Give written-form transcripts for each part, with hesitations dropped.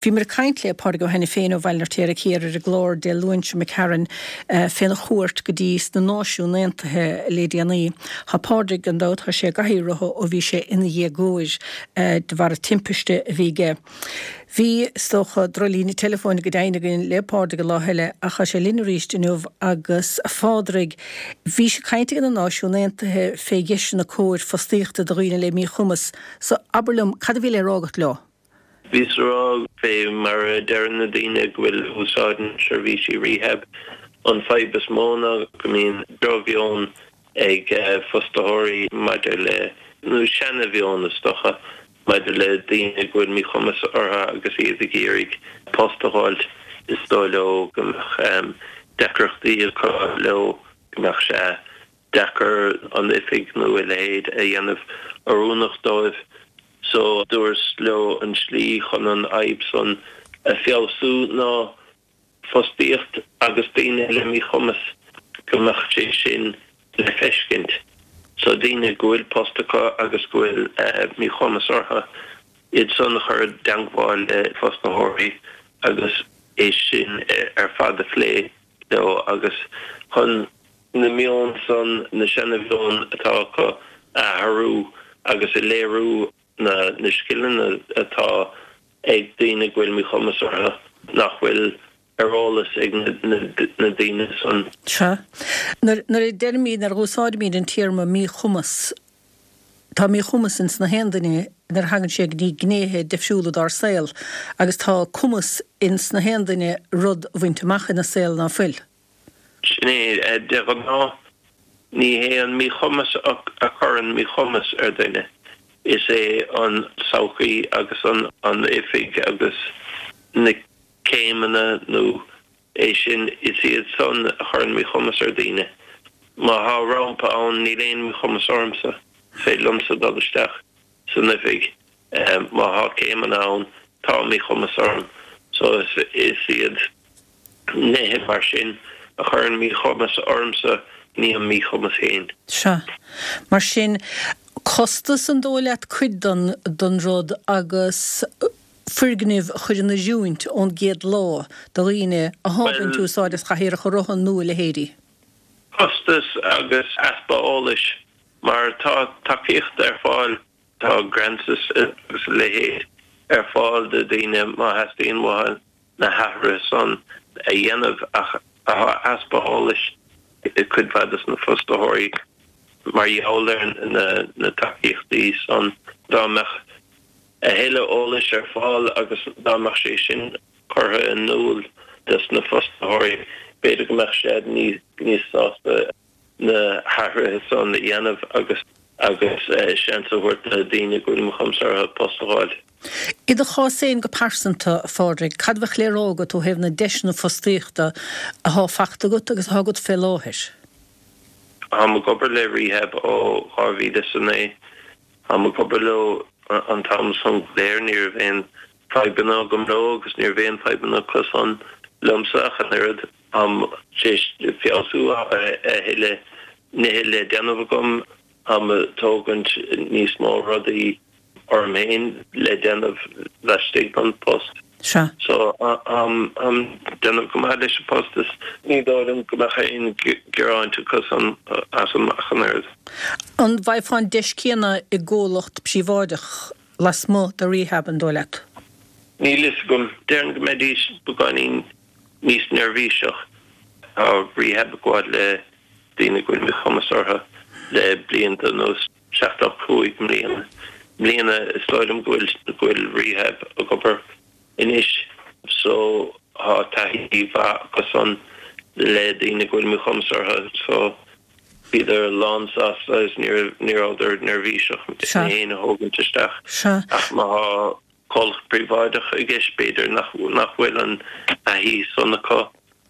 Bhíomar ag caint le Pádraig Ó hAiniféin ó Bhaile an Fheirtéaraigh Thiar ar an gclár Dé Luain seo imigh tharainn féna chuairt go dtí sna Náisiúin Aontaithe le déanaí. Tá Pádraig, gan dabht, tá sé i gcathaoir rotha ó bhí sé ina dhéagóir de bharr timpiste a bhí aige. Bhí, is dócha, drochlíne teileafóin go deimhin againn le Pádraig an lá eile ach tá sé linn arís inniu agus, a Phádraig, bhís ag caint ag na Náisiúin Aontaithe fé dheiseanna cóir fostaíochta do dhaoine le míchumas so abair liom, cad a bhí le rá agat leo? Bhíos a rá, fé mar a deireann na daoine go bhfuil úsáideann seirbhísí rehab, an fadhb is mó ná go mbíonn drochmheon ag fostaitheoirí maidir le, nó seana-mheon is dócha, maidir le daoine go bhfuil míchumas orthu agus iad ag iarraidh post a dh'fháilt. Is dóigh leo go mbeadh deacrachtaí acu leo, go mbeadh sé deacair an oifig nó a leithéid a dhéanamh oiriúnach dóibh so dúras leo an slí chun an fhadhb san a feabhsú ná fostaíocht agus daoine le míchumas go mbeadh sé sin le feiscint so daoine go bhfuil post acu agus go bhfuil míchumas orthu iad san a chur i dteangmháil le fostaitheoirí agus é sin ar fad a phlé leo agus chun na meon san, na seana-mheon atá acu a athrú agus a léiriú na na scileanna atá ag daoine go bhfuil míchumas orthu nach bhfuil ar eolas ag na na daoine san. Sea. Nuair nuair a deirimid, nuair a dh'úsáidimid an téarma míchumas, tá míchumas ins na haon duine nuair a thagann sé go dtí gnéithe difriúla dár saol agus tá cumas ins na haon duine rud a bhaint amach ina saol ná fuil. Sin é. De ghnáth, ní hé an míchumas a chuireann míchumas ar dhuine, is é an tsochaí agus an oifig agus na céimeanna nó é sin, is iad san a chuireann míchumas ar dhaoine. Má thá rampa ann, níl aon mhíchumas ormsa, is féidir liomsa dul isteach san oifig. Má thá céimeanna ann, tá míchumas orm. So is iad. nithe mar sin a chuireann míchumas ormsa, ní an míchumas féin. Sea. Mar sin, costas an dóigh leat cuid den, den rud agus foirgnimh a chur in oiriúint ón gcéad lá do dhaoine athá ag baint úsáid as chathaoireacha rotha nó a leithéidí? Costas agus easpa eolais, mar tá tacaíocht ar fáil, tá grants agus a leithéid ar fáil do dhaoine má theastaíonn uathu. na hathruithe san a dhéanamh ach tá easpa eolais ag cuid mhaith dos na fostaitheoirí mar gheall ar na tacaíochtaí san. Dá mbeadh a thuilleadh eolais ar fáil agus dá mbeadh sé sin curtha in iúl dos na fostaitheoirí b'fhéidir go mbeadh siad níos sásta na hathruithe san a dhéanamh agus agus seans a thabhairt do daoine go bhfuil míchumas orthu post a dh'fháil. I do chás féin go pearsanta, a Phádraig, cad a bheadh le rá agat ó thaobh na deiseanna fostaíochta athá fachta agat agus athá agat fé láthair? Táim ag obair le Rehab ó 2009. Táim ag obair leo an t-am san go léir. Ní raibh aon fadhbanna agam leo agus ní raibh aon fadhbanna acu san liomsa ach an oiread. Táim tar éis feabhsú a thuilleadh nithe le déanamh agam. Táim ag tógaint níos mó rudaí orm féin le déanamh laistigh den post. Sea. So, táim déanamh go maith leis an post is ní dóigh liom go mbeadh aon gearáin acu san asam ach an oiread. An bhfaighfeá an deis céanna i gcomhlacht príobháideach lasmuigh de Rehab, an dóigh leat? Níl fhios agam. Déarfainn go mbeidís beagáinín níos neirbhíseach. Tá Rehab ag gabháil le daoine go bhfuil míchumas orthu le blianta anuas, 75 mbliana. mbliana is dóigh liom go bhfuil go bhfuil Rehab ag obair anois so tá taithí mhaith acu san le daoine go bhfuil míchumas orthu so bhíodar lán sásta agus ní raibh ní rabhadar neirbhíseach mé féin a thógaint isteach ach má thá comhlacht príobháideach i gceist, b'fhéidir nach nach bhfuil an taithí san acu,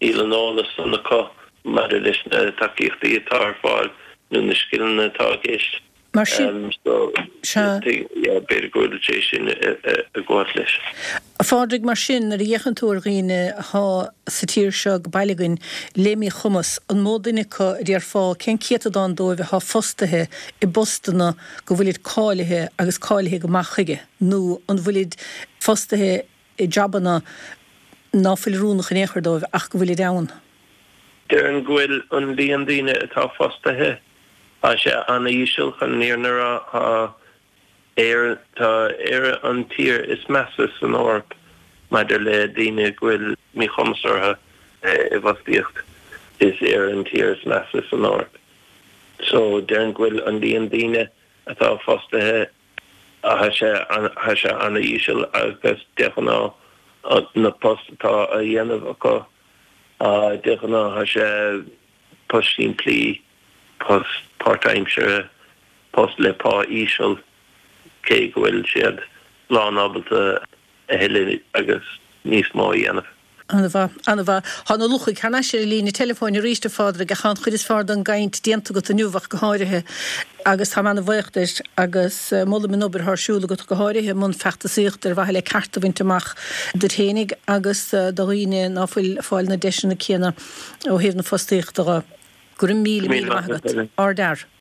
níl an eolas san acu maidir leis na tacaíochtaí atá ar fáil nó na scileanna atá i gceist. Mar sin, So, sea. yeah, b'fhéidir go bhfuil sé sin ag gabháilt leis. A Phádraig, mar sin, nuair a fhéachann tú ar dhaoine athá sa tír seo go baile againn le míchumas, an mó duine acu a déarfá, cén céatadán dóibh athá fostaithe i bpostanna go bhfuilid cáilithe agus cáilithe go maith chuige? Nó an bhfuilid fostaithe i jabanna ná fuil oiriúnach in aon chor dóibh ach go bhfuilid ann. Déarfainn go bhfuil an líon daoine atá fostaithe, tá sé an-íseal chun an fhírinne a rá. Tá Éire, tá Éire an tír is measa san Eoraip maidir le daoine go bhfuil míchumas orthu i bhfostaíocht. Is Éire an tír is measa san Eoraip. So déarfainn go bhfuil an líon daoine atá fostaithe, tá sé, tá sé an-íseal agus de ghnáth na post atá á dhéanamh acu, de ghnáth tá sé post simplí, post páirtaimseartha, post le pá íseal, cé go bhfuil siad lán-ábalta a thuilleadh agus níos mó a dhéanamh. An-mhaith, an-mhaith. Tá na luchaigh thar n-ais ar an líne teileafóin arís, a Phádraig, ach tá an chuid is fearr den gcaint déanta agat inniu ach go háirithe agus táim ana-bhaoch duit agus molaim an obair atá ar siúl agat, go háirithe i mbun feachtasaíochta ar mhaithe le cearta a bhaint amach duit fhéinig agus do dhaoine ná fuil ag fáil na deiseanna céanna ó thaobh na fostaíochta dho. Go raibh míle, míle maith agat. Ardfhear.